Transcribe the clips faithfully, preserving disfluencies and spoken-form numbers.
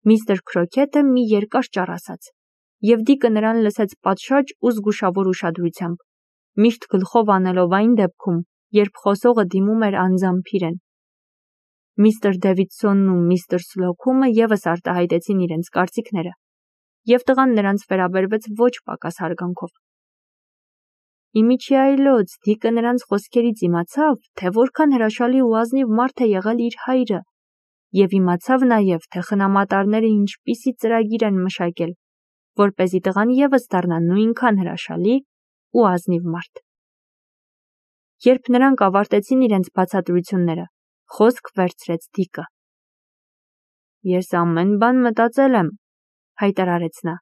Միստր Քրոքեթը մի երկար ճառ ասաց, և Դիկը նրան լսեց պատշաճ ու զգուշավոր ուշադրությամբ, միշտ գլխով անելով այն դեպքում, երբ խոսողը դիմում էր անձամբ իրեն։ Միստր Դեվիդսոնն ու միստր Սլոքումը ևս արտահայտեցին իրենց կարծիքները, և տղան նրանց վերաբերվեց ոչ պակաս հարգանքով։ Իմիջի այլոց Դիկը նրանց խոսքերից իմացավ, թե որքան հրաշալի ու ազնիվ մարդ է եղել իր հայրը, և իմացավ նաև, թե խնամատարները ինչպիսի ծրագիր են մշակել, որպեսզի տղան ևս դառնա նույնքան հրաշալի ու ազնիվ մարդ։ Երբ նրանք ավարտեցին իրենց բացատրությունները, խոսք վերցրեց Դիկը։ Ես ամեն բան մտածել եմ, հայտարարեց նա։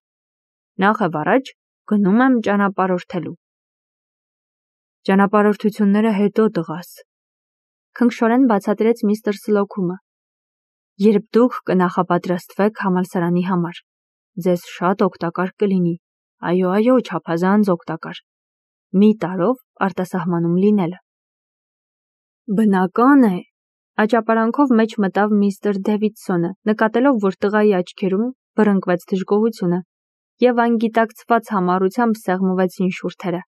Նախ առաջ գնում եմ ճանապարհորդելու։ Ճանապարհորդությունները հետո, տղաս, քնքշորեն բացատրեց միստր Սլոքումը։ Երբ դուք կնախապատրաստվեք համալսարանի համար, ձեզ շատ օգտակար կլինի, այո, այո, չափազանց օգտակար, մի տարով արտասահմանում լինելը։ Բնական է, աճապարանքով մեջ մտավ միստր Դեվիդսոնը, նկատելով, որ տղայի աչքերում բռնկվեց դժգոհությունը, և անգիտակցված համառությամբ սեղմվեցին շուրթերը։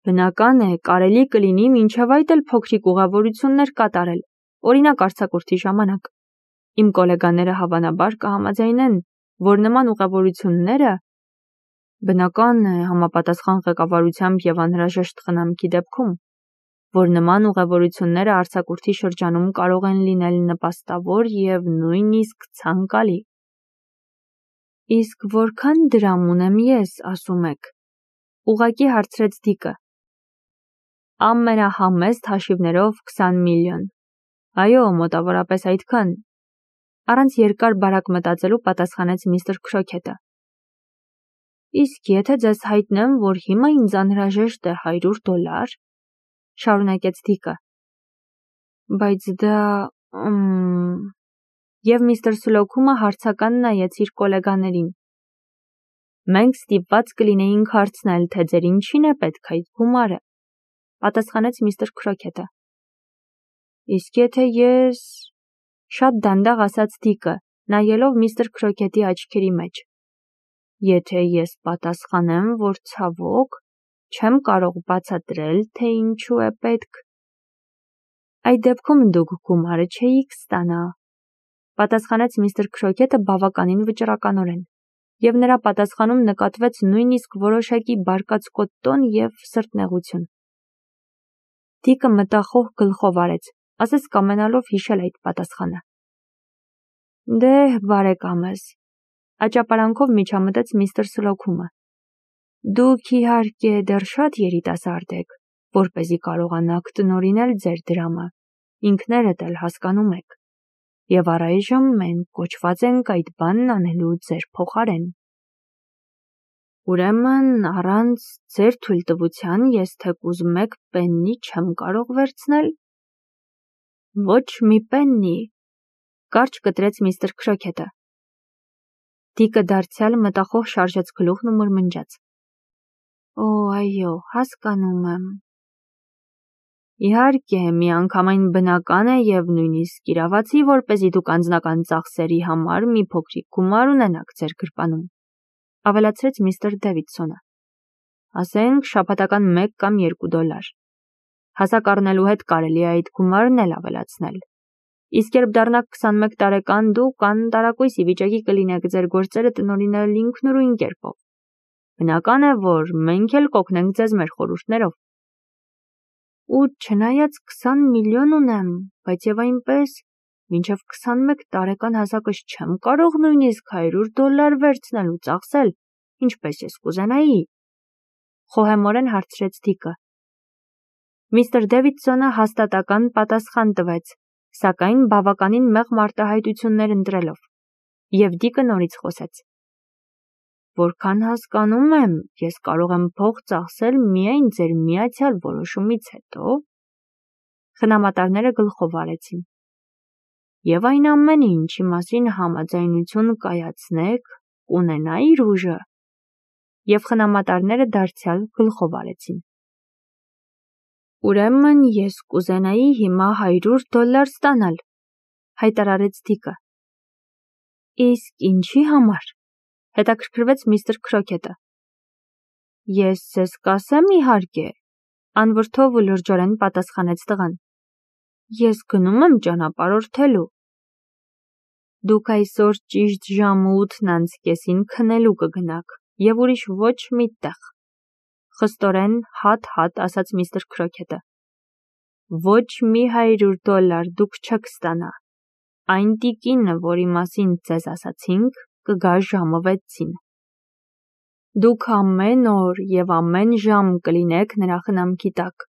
Բնական է, կարելի կլինի մինչև այդ էլ փոքրիկ ուղևորություններ կատարել, օրինակ արձակուրդի ժամանակ։ Իմ գոլեգաները հավանաբար կհամաձայնեն, որ նման ուղևորությունները, բնական է, համապատասխան ղեկավարությամբ և անհրաժեշտ խնամքի դեպքում, որ նման ուղևորությունները արձակուրդի շրջանում կարող են լինել նպաստավոր և նույնիսկ ցանկալի։ Իսկ որքան դրամ ունեմ ես, ասում եք, ուղղակի հարցրեց Դիկը։ Ամենահամեստ հաշիվներով քսան միլիոն։ Այո, մոտավորապես այդքան, առանց երկար բարակ մտածելու պատասխանեց միստր Քրոքեթը։ Իսկ եթե ձեզ հայտնեմ, որ հիմա ինձ անհրաժեշտ է հարյուր դոլար, շարունակեց Դիկը։ Բայց դա… Մ… Եվ միստր Սլոքումը հարցական նայեց իր գոլեգաներին։ Մենք ստիպված կլինեինք հարցնել, թե ձեր ինչին է պետք այդ գումարը, պատասխանեց միստր Քրոքեթը։ Իսկ եթե ես… Շատ դանդաղ ասաց Դիկը, նայելով միստր Քրոքեթի աչքերի մեջ։ Եթե ես պատասխանեմ, որ ցավոք, չեմ կարող բացատրել, թե ինչու է պետք… Այդ դեպքում դուք գումարը չէիք ստանա, պատասխանեց միստր Քրոքեթը բավականին վճռականորեն, և նրա պատասխանում նկատվեց նույնիսկ որոշակի բարկացկոտ տոն և սրտնեղություն։ Դիկը մտախոհ գլխով արեց, ասես կամենալով հիշել այդ պատասխանը։ Դե, բարեկամս, աճապարանքով միջամտեց միստր Սլոքումը։ Դուք իհարկե դեռ շատ երիտասարդ եք, որպեսզի կարողանաք տնօրինել ձեր դրամը, ինքներդ էլ հասկանում եք, և առայժմ մենք կոչված ենք այդ բանն անելու ձեր փոխարեն։ Ուրեմն, առանց ձեր թույլտվության ես թեկուզ մեկ պեննի չեմ կարող վերցնել։ Ոչ մի պեննի, կարճ կտրեց միստր Քրոքեթը։ Դիկը դարձյալ մտախոհ շարժեց գլուխն ու մրմնջաց. Օ, այո, հասկանում եմ։ Իհարկե, միանգամայն բնական է և նույնիսկ իրավացի, որպեսզի դուք անձնական ծախսերի համար մի փոքրիկ գումար ունենաք ձեր գրպանում, ավելացրեց միստր Դեվիդսոնը։ Ասենք շաբաթական մեկ կամ երկու դոլար։ Հասակ առնելու հետ կարելի է այդ գումարն էլ ավելացնել։ Իսկ երբ դառնաք քսանմեկ տարեկան, դուք անտարակույս ի վիճակի կլինեք ձեր գործերը տնօրինել ինքնուրույն կերպով։ Բնական է, որ մենք էլ կօգնենք ձեզ մեր խորհուրդներով։ Ու չնայած քսան միլիոն ունեմ, բայց և այնպես, մինչև քսանմեկ տարեկան հասակս չեմ կարող նույնիսկ հարյուր դոլար վերցնել ու ծախսել, ինչպես ես կուզենայի, խոհեմորեն հարցրեց Դիկը։ Միստր Դեվիդսոնը հաստատական պատասխան տվեց, սակայն բավականին մեղմ արտահայտություններ ընտրելով, և Դիկը նորից խոսեց. Որքան հասկանում եմ, ես կարող եմ փող ծախսել միայն ձեր միացյալ որոշումից հետո… Խնամատարները գլխով արեցին։ Եվ այն ամենը, ինչի մասին համաձայնություն կայացնեք, կունենա իր ուժը։ Եվ խնամատարները դարձյալ գլխով արեցին։ Ուրեմն ես կուզենայի հիմա հարյուր դոլար ստանալ, հայտարարեց Դիկը։ Իսկ ինչի համար, հետաքրքրվեց միստր Քրոքետը։ Ես ձեզ կասեմ իհարկե, անվրդով ու լրջորեն պատասխանեց տղան։ Ես գնում եմ ճանապարհորդելու։ Դուք այսօր ճիշտ ժամը ութն անց կեսին քնելու կգնաք և ուրիշ ոչ մի տեղ, խստորեն հատ-հատ ասաց միստր Քրոքետը։ Ոչ մի հարյուր դոլար դուք չեք ստանա։ Այն տիկինը, որի մասին ձեզ ասացինք, կգա ժամը վեցին։ Դուք ամեն օր և ամեն ժամ կլինեք նրա խնամքի տակ։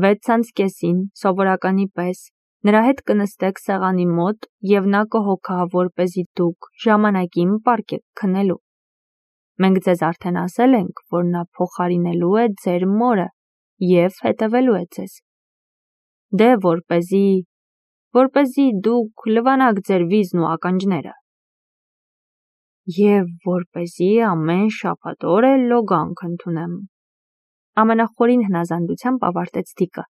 Վեց անց կեսին, սովորականի պես, նրա հետ կնստեք սեղանի մոտ և նա կհոգա, որպեսզի դուք ժամանակին պառկեք քնելու։ Մենք ձեզ արդեն ասել ենք, որ նա փոխարինելու է ձեր մորը և հետևելու է ձեզ։ Դե որպեսզի, որպեսզի դուք լվանաք ձեր վիզն ու ականջները։ Եվ որպեսզի ամեն շաբաթ օր էլ լոգանք ընդունեմ։ Ամենախորին հնազանդությամբ ավարտեց Դիկը։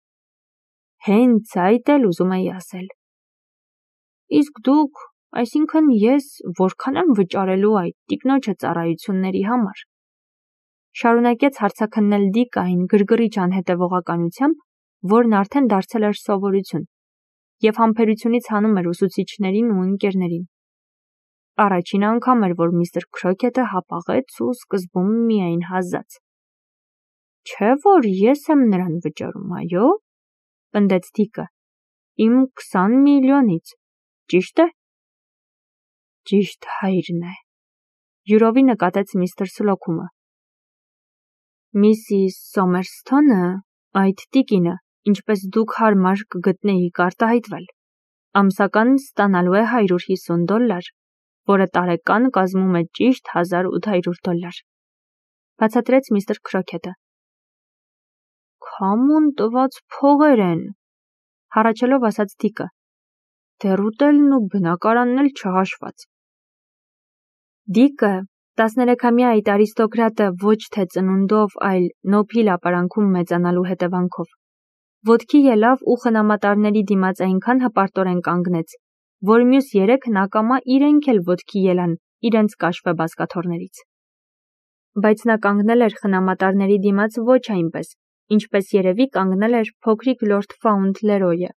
Հենց այդ էլ ուզում էի ասել։ Իսկ դուք, այսինքն ես, որքան եմ վճարելու այդ տիկնոջը ծառայությունների համար։ Շարունակեց հարցաքննել Դիկային գրգռիչ անհետևողականությամբ, որն արդեն դարձել էր սովորություն, և համբերությունից հանում էր ուսուցիչներին ու ընկերներին։ Առաջին անգամ էր, որ միստր Քրոքետը հապաղեց ու սկզբում միայն հազաց։ Չէ՞ որ ես եմ նրան վճարում, այո՞, պնդեց Դիկը։ Իմ քսան միլիոնից, ճի՞շտ է։ Ճիշտ հայրն է, յուրովի նկատեց միստր Սլոքումը։ Միսիս Սոմերսթոնը, այդ տիկինը, ինչպես դուք հարմար կգտնեիք արտահայտվել, ամսական ստանալու է հարյուր հիսուն դոլար, որը տարեկան կազմում է ճիշտ հազար ութ հարյուր դոլար, բացատրեց միստր Քրոքետը։ Քամուն տված փողեր են, հառաչելով ասաց Դիկը, դեռ ուտելն ու բնակարանն էլ չհաշված։ Դիկը, տասներեքամյա այդ արիստոկրատը ոչ թե ծնունդով, այլ նոփիլ ապարանքում մեծանալու հետևանքով, ոտքի ելավ ու խնամատարների դիմաց այնքան հպարտորեն կանգնեց, որ մյուս երեքն ակամա իրենք էլ ոտքի ելան իրենց կաշվե բազկաթոռներից։ Բայց նա կանգնել էր խնամատարների դիմաց ոչ այնպես, ինչպես երևի կանգնել էր փոքրիկ լորդ Ֆաունթլերոյը,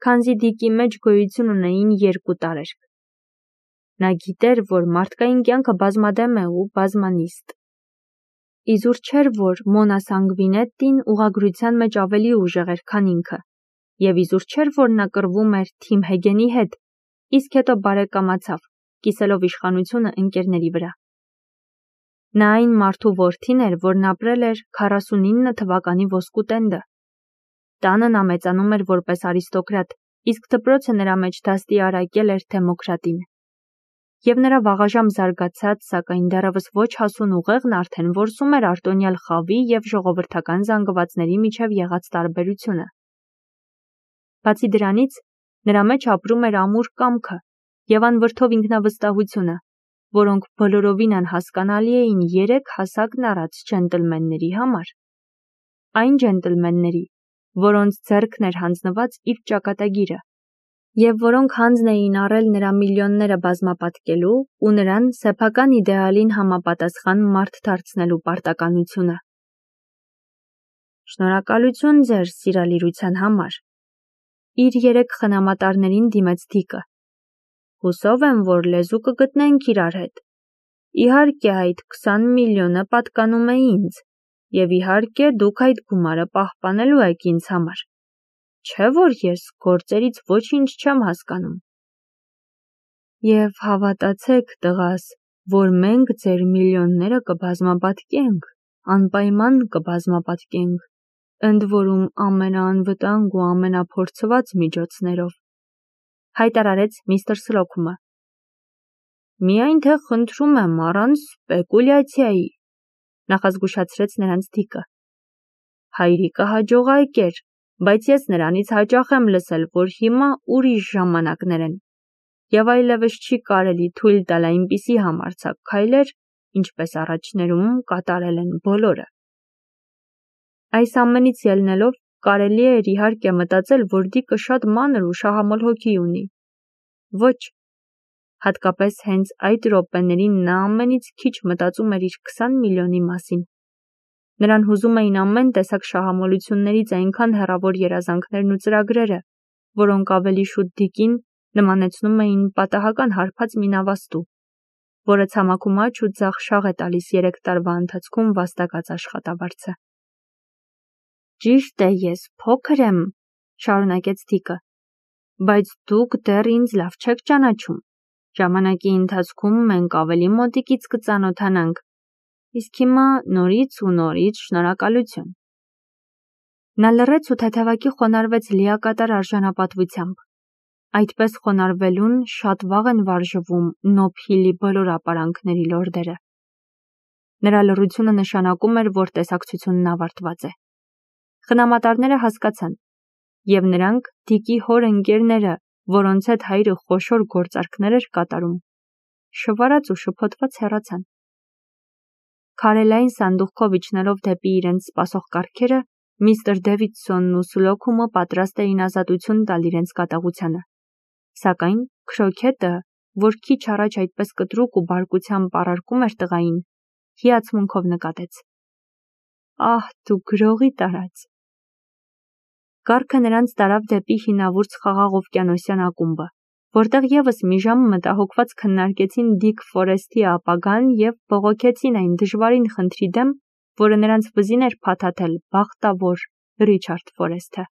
քանզի Դիկի մեջ գոյություն ունեին երկու տարերկ։ Նա գիտեր, որ մարդկային կյանքը բազմադեմ է ու բազմանիստ։ Իզուր չէր, որ Մոնա Սանգվինետտին ուղղագրության մեջ ավելի ուժեղ էր, քան ինքը, և իզուր չէր, որ նա կռվում էր Թիմ Հեգենի հետ, իսկ հետո բարեկամացավ, կիսելով իշխանությունը ընկերների վրա։ Նա այն մարդու որդին էր, որն ապրել էր քառասունինը թվականի ոսկու տենդը։ Տանը նա մեծանում էր որպես արիստոկրատ, իսկ դպրոցը նրա մեջ դաստիարակել էր դեմոկրատին։ Եվ նրա վաղաժամ զարգացած, սակայն դեռևս ոչ հասուն ուղեղն արդեն որսում էր արտոնյալ խավի և ժողովրդական զանգվածների միջև եղած տարբերությունը։ Բացի դրանից, նրա մեջ ապրում էր ամուր կամքը և անվրդով ինքնավստահությունը, որոնք բոլորովին անհասկանալի էին երեք հասակն առած ջենտլմենների համար։ Այն ջենտլմենների, որոնց ձեռքն էր հանձնված իր ճակատագիրը, և որոնք հանձն էին առել նրա միլիոնները բազմապատկելու ու նրան սեփական իդեալին համապատասխան մարդ դարձնելու պարտականությունը։ Շնորհակալություն ձեր սիրալիրության համար, իր երեք խնամատարներին դիմեց Դիկը։ Հուսով եմ, որ լեզու կգտնենք իրար հետ։ Իհարկե այդ քսան միլիոնը պատկանում է ինձ, և իհարկե դուք այդ գումարը պահպանելու եք ինձ համար, չէ՞ որ ես գործերից ոչինչ չեմ հասկանում։ Եվ հավատացեք, տղաս, որ մենք ձեր միլիոնները կբազմապատկենք, անպայման կբազմապատկենք, ընդ որում ամենաանվտանգ ու ամենափորձված միջոցներով, հայտարարեց միստր Սլոքումը։ Միայն թե խնդրում եմ առանց սպեկուլյացիայի, նախազգուշացրեց նրանց Դիկը։ Հայրիկը հաջողակ էր, բայց ես նրանից հաճախ եմ լսել, որ հիմա ուրիշ ժամանակներ են, և այլևս չի կարելի թույլ տալ այնպիսի համարձակ քայլեր, ինչպես առաջներում կատարել են բոլորը։ Այս ամենից ելնելով, կարելի էր իհարկե մտածել, որ Դիկը շատ մանր ու շահամոլ հոգի ունի։ Ոչ, Հատկապես հենց այդ րոպեներին նա ամենից քիչ մտածում էր իր քսան միլիոնի մասին։ Նրան հուզում էին ամեն տեսակ շահամոլություններից այնքան հեռավոր երազանքներն ու ծրագրերը, որոնք ավելի շուտ Դիկին նմանեցնում էին պատահական հարբած մի նավաստու, որը ցամաքում աջ ու ձախ շաղ է տալիս երեք տարվա ընթացքում վաստակած աշխատավարձը։ Ճիշտ է, ես փոքր եմ, շարունակեց Դիկը, բայց դուք դեռ ինձ լավ չեք ճանաչում։ Ժամանակի ընթացքում մենք ավելի մոտիկից կծանոթանանք, իսկ հիմա նորից ու նորից շնորհակալություն։ Նա լռեց ու թեթևակի խոնարհվեց լիակատար արժանապատվությամբ։ Այդպես խոնարհվելուն շատ վաղ են վարժվում Նոբ Հիլի բոլոր ապարանքների լորդերը։ Նրա լռությունը նշանակում էր, որ տեսակցությունն ավարտված է։ Խնամատարները հասկացան, և նրանք Դիկի հոր ընկերները, որոնց հետ հայրը խոշոր գործարքներ էր կատարում, շվարած ու շփոթված հեռացան։ Քարելային սանդուղքով իջնելով դեպի իրենց սպասող կառքերը, միստր Դեվիդսոնն ու Սլոքումը պատրաստ էին ազատություն տալ իրենց կատաղությանը, սակայն Քրոքեթը, որ քիչ առաջ այդպես կտրուկ ու բարկությամբ առարկում էր տղային, հիացմունքով նկատեց. «Ահ, դու գրողի տարած»։ Կառքը նրանց տարավ դեպի հինավուրց խաղաղ օվկիանոսյան ակումբը, որտեղ ևս մի ժամ մտահոգված քննարկեցին Դիկ Ֆորեսթի ապագան և բողոքեցին այն դժվարին խնդրի դեմ, որը նրանց վզին էր փաթաթել բախտավոր Ռիչարդ Ֆորեսթը։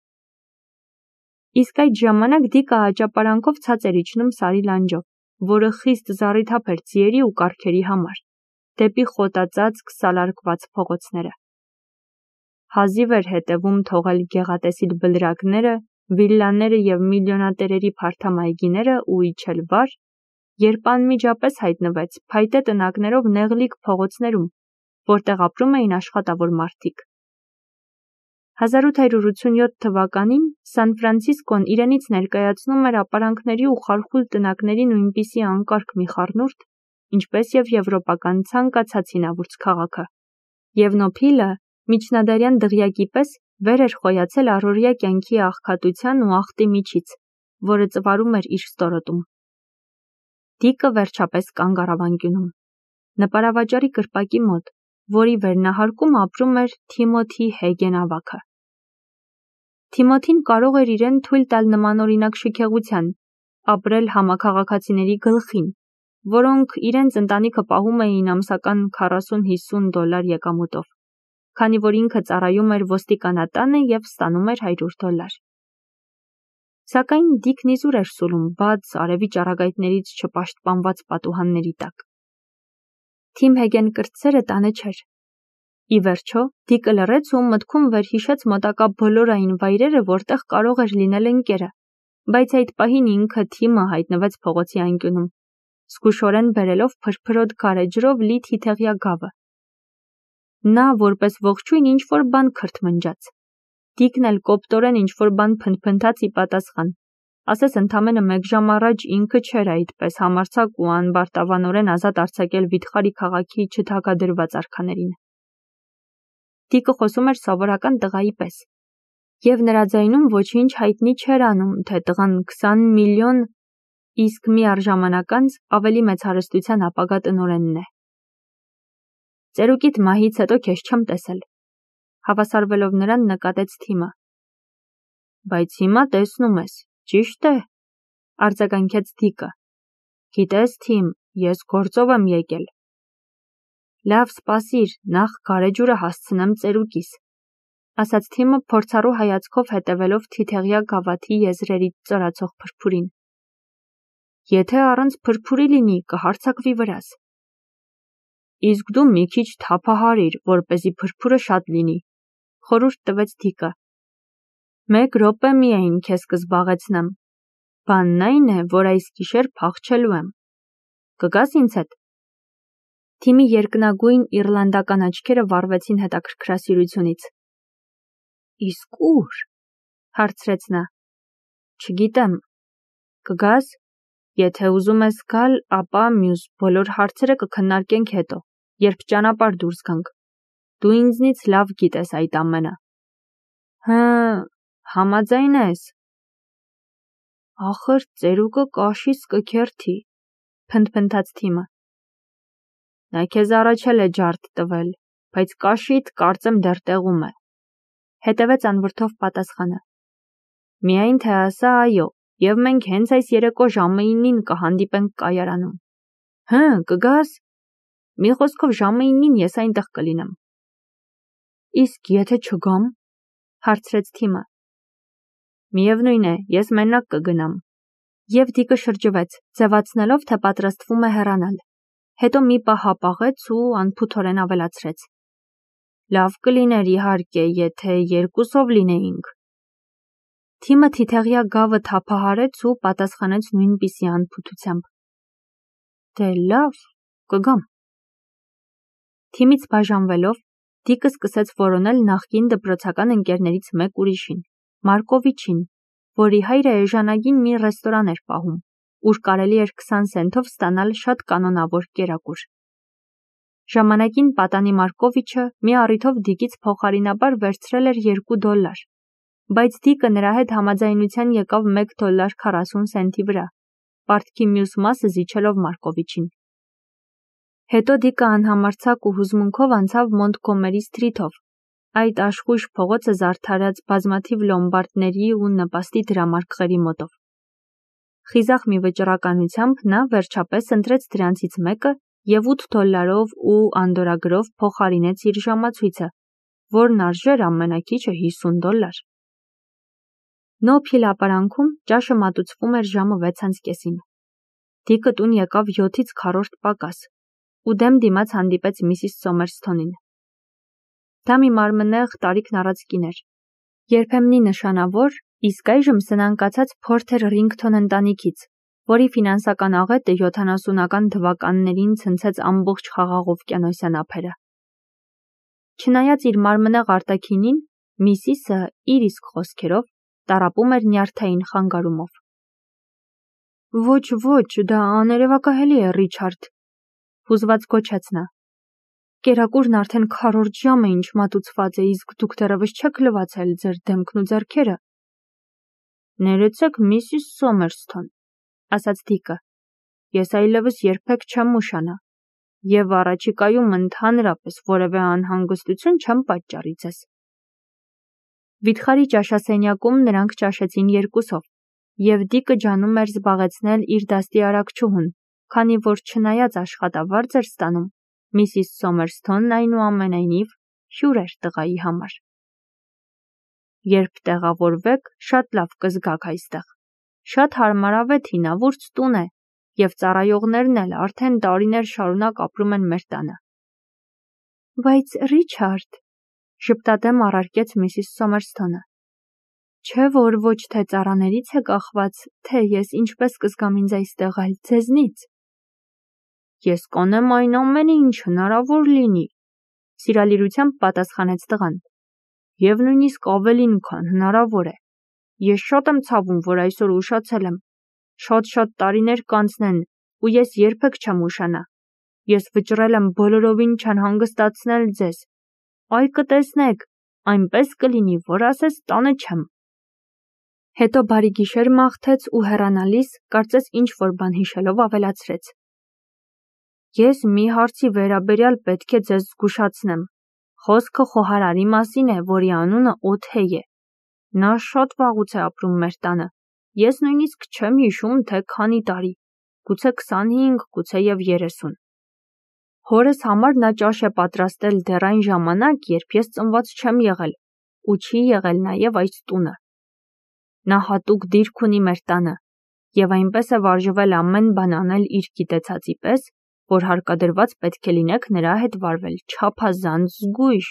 Իսկ այդ ժամանակ Դիկը աճապարանքով ցած էր իջնում Սարի լանջով, որը խիստ զառիթափ էր ձիերի ու կառքերի համար, դեպի խոտածածկ սալարկված փողոցները։ Հազիվ էր հետևում թողել գեղատեսիլ բլրակները, վիլլաները և միլիոնատերերի փարթամ այգիները ու իջել վար, երբ անմիջապես հայտնվեց փայտե տնակներով նեղլիկ փողոցներում, որտեղ ապրում էին աշխատավոր մարդիկ։ հազար ութ հարյուր ութսունյոթ թվականին Սան Ֆրանցիսկոն իրենից ներկայացնում էր ապարանքների ու խարխուլ տնակների նույնպիսի անկարգ մի խառնուրդ, ինչպես և եվրոպական ցանկացած հինավուրց քաղաքը, և Նոբ Հիլը միջնադարյան դղյակի պես վեր էր խոյացել առօրյա կյանքի աղքատության ու աղտի միջից, որը ծվարում էր իր ստորոտում։ Դիկը վերջապես կանգ առավ անկյունում, նպարավաճառի կրպակի մոտ, որի վերնահարկում ապրում էր Թիմոթի Հեգեն ավագը։ Թիմոթին կարող էր իրեն թույլ տալ նմանօրինակ շքեղության, ապրել համաքաղաքացիների գլխին, որոնք իրենց ընտանիքը պահում էին ամսական քառասուն-հիսուն դոլար եկամուտով, քանի որ ինքը ծառայում էր ոստիկանատանը և ստանում էր հարյուր դոլար։ Սակայն Դիկն իզուր էր սուլում բաց, արևի ճառագայթներից չպաշտպանված պատուհանների տակ։ Թիմ Հեգեն կրտսերը տանը չէր։ Ի վերջո, Դիկը լռեց ու մտքում վերհիշեց մոտակա բոլոր այն վայրերը, որտեղ կարող էր լինել ընկերը, բայց այդ պահին ինքը Թիմը հայտնվեց փողոցի անկյունում, զգուշորեն բերելով փրփրոտ քարե ջրով լի թիթեղյա գավը։ Նա որպես ողջույն ինչ-որ բան քրթմնջաց։ Դիկն էլ կոպտորեն ինչ-որ բան փնթփնթաց ի պատասխան, ասես ընդամենը մեկ ժամ առաջ ինքը չէր այդպես համարձակ ու անբարտավանորեն ազատ արձակել վիթխարի քաղաքի չթագադրված արքաներին։ Դիկը խոսում էր սովորական տղայի պես, և նրա ձայնում ոչինչ հայտնի չէր անում, թե տղան քսան միլիոն, իսկ մի առժամանակ անց ավելի մեծ հարստության ապագա տնօրենն է։ Ծերուկիդ մահից հետո քեզ չեմ տեսել, հավասարվելով նրան նկատեց Թիմը։ Բայց հիմա տեսնում ես, ճիշտ է, արձագանքեց Դիկը։ Գիտես, Թիմ, ես գործով եմ եկել։ Լավ, սպասիր, նախ գարեջուրը հասցնեմ ծերուկիս, ասաց Թիմը փորձառու հայացքով հետևելով թիթեղյա գավաթի եզրերից ծորացող փրփուրին։ Եթե առանց փրփուրի լինի, կհարձակվի վրաս։ Իսկ դու մի քիչ թափահարիր, որպեսզի փրփուրը շատ լինի, խորհուրդ տվեց Դիկը։ Մեկ րոպե միայն քեզ կզբաղեցնեմ։ Բանն այն է, որ այս գիշեր փախչելու եմ։ Կգաս ինձ հետ։ Թիմի երկնագույն իռլանդական աչքերը վառվեցին հետաքրքրասիրությունից։ Իսկ ուր, հարցրեց նա։ Չգիտեմ։ Կգաս։ Եթե ուզում ես գալ, ապա մյուս բոլոր հարցերը կքննարկենք հետո, երբ ճանապարհ դուրս գանք։ Դու ինձնից լավ գիտես այդ ամենը։ Հը, համաձայն ես։ Ախր ծերուկը կաշից կքերթի, Փնթփնթաց թիմը։ Նա քեզ առաջել է ջարդ տվել, բայց կաշիդ կարծեմ դեռ տեղում է։ Հետևեց անվրդով պատասխանը։ Միայն թե ասա այո, եւ մենք հենց այս երեկո ժամը ինին կհանդիպենք կայարանում։ Հը, կգաս։ Մի խոսքով ժամը ինին ես այնտեղ կլինեմ։ Իսկ եթե չգամ, հարցրեց թիմը։ Միևնույն է, ես մենակ կգնամ։ Եվ Դիկը շրջվեց, ձևացնելով, թե պատրաստվում է հեռանալ։ Հետո մի պահ հապաղեց ու անփութորեն ավելացրեց. Լավ կլիներ իհարկե, եթե երկուսով լինեինք։ Թիմը թիթեղյա գավը թափահարեց ու պատասխանեց նույնպիսի անփութությամբ. Դե լավ, կգամ։ Թիմից բաժանվելով, Դիկը սկսեց որոնել նախկին դպրոցական ընկերներից մեկ ուրիշին, Մարկովիչին, որի հայրը էժանագին մի ռեստորան էր պահում, ուր կարելի էր քսան սենթով ստանալ շատ կանոնավոր կերակուր։ Ժամանակին պատանի Մարկովիչը մի առիթով Դիկից փոխարինաբար վերցրել էր երկու դոլար, բայց Դիկը նրա հետ համաձայնության եկավ մեկ դոլար քառասուն սենթի վրա, պարտքի մյուս մասը զիջելով Մարկովիչին։ Հետո Դիկը անհամարձակ ու հուզմունքով անցավ Մոնտգոմերի սթրիթով, այդ աշխույժ փողոցը զարդարած բազմաթիվ լոմբարդների ու նպաստի դրամարկղերի մոտով։ Խիզախ մի վճռականությամբ նա վերջապես ընտրեց դրանցից մեկը և ութ դոլարով ու անդորրագրով փոխարինեց իր ժամացույցը, որն արժեր ամենաքիչը հիսուն դոլար։ Նոփ հիլապարանքում ճաշը մատուցվում էր ժամը վեցանց կեսին։ Դիկը տուն եկավ յոթից քառորդ պակաս ու դեմ դիմաց հանդիպեց Միսիս Սոմերսթոնին։ Դա մի մարմնեղ տարիքն առած կին էր, երբեմնի նշանավոր, իսկ այժմ սնանկացած Փորթեր Ռինգթոն ընտանիքից, որի ֆինանսական աղետը յոթանասունական թվականներին ցնցեց ամբողջ խաղաղ օվկիանոսյան ափերը։ Չնայած իր մարմնեղ արտաքինին, Միսիսը, իր իսկ խոսքերով, տառապում էր նյարդային խանգարումով։ Ոչ, ոչ, դա աներևակայելի է, Ռիչարդ, հուզված գոչեց նա։ Կերակուրն արդեն քառորդ ժամ է ինչ մատուցված է, իսկ դուք դեռևս չեք լվացել ձեր դեմքն ու ձեռքերը։ Ներեցեք, Միսիս Սոմերսթոն, ասաց Դիկը, ես այլևս երբեք չեմ ուշանա, և առաջիկայում ընդհանրապես որևէ անհանգստություն չեմ պատճառի ձեզ։ Վիթխարի ճաշասենյակում նրանք ճաշեցին երկուսով, և Դիկը ջանում էր զբաղեցնել իր դաստի արագչուհուն, քանի որ չնայած աշխատավարձ էր ստանում, Միսիս Սոմերսթոնն այնուամենայնիվ հյուր էր տղայի համար։ Երբ տեղավորվեք, շատ լավ կզգաք այստեղ։ Շատ հարմարավետ հինավուրց տուն է, և ծառայողներն էլ արդեն տարիներ շարունակ ապրում են մեր տանը։ Բայց Ռիչարդ, ժպտադեմ առարկեց Միսիս Սոմերսթոնը, չէ՞ որ ոչ թե ծառաներից է կախված, թե ես ինչպես կզգամ ինձ այստեղ, այլ ձեզնից։ Ես կանեմ այն ամենը, ինչ հնարավոր լինի, սիրալիրությամբ պատասխանեց տղան, և նույնիսկ ավելին, քան հնարավոր է։ Ես շատ եմ ցավում, որ այսօր ուշացել եմ։ Շատ-շատ տարիներ կանցնեն, ու ես երբեք չեմ ուշանա։ Ես վճռել եմ բոլորովին չանհանգստացնել ձեզ։ Այ կտեսնեք, այնպես կլինի, որ ասես տանը չեմ։ Հետո բարի գիշեր մաղթեց ու հեռանալիս, կարծես ինչ-որ բան հիշելով ավելացրեց. Ես մի հարցի վերաբերյալ պետք է ձեզ զգուշացնեմ։ Խոսքը խոհարարի մասին է, որի անունը Օթեյ է։ Նա շատ վաղուց է ապրում մեր տանը։ Ես նույնիսկ չեմ հիշում, թե քանի տարի, գուցե քսանհինգ, գուցեև երեսուն։ Հորս համար նա ճաշ է պատրաստել դեռ այն ժամանակ, երբ ես ծնված չեմ եղել, ու չի եղել նաև այս տունը։ Նա հատուկ դիրք ունի մեր տանը, և այնպես է վարժվել ամեն բան անել իր գիտեցածի պես, որ հարկադրված պետք է լինեք նրա հետ վարվել չափազանց զգույշ։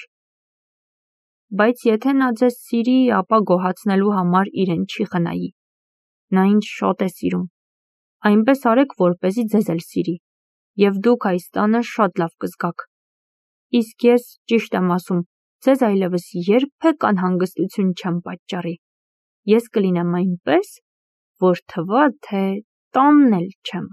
Բայց եթե նա ձեզ սիրի, ապա գոհացնելու համար իրեն չի խնայի։ Նա ինձ շատ է սիրում։ Այնպես արեք, որպեսզի ձեզ էլ սիրի, և դուք այս տանը շատ լավ կզգաք։ Իսկ ես, ճիշտ եմ ասում, ձեզ այլևս երբեք անհանգստություն չեմ պատճառի։ Ես կլինեմ այնպես, որ թվա, թե տանն էլ չեմ։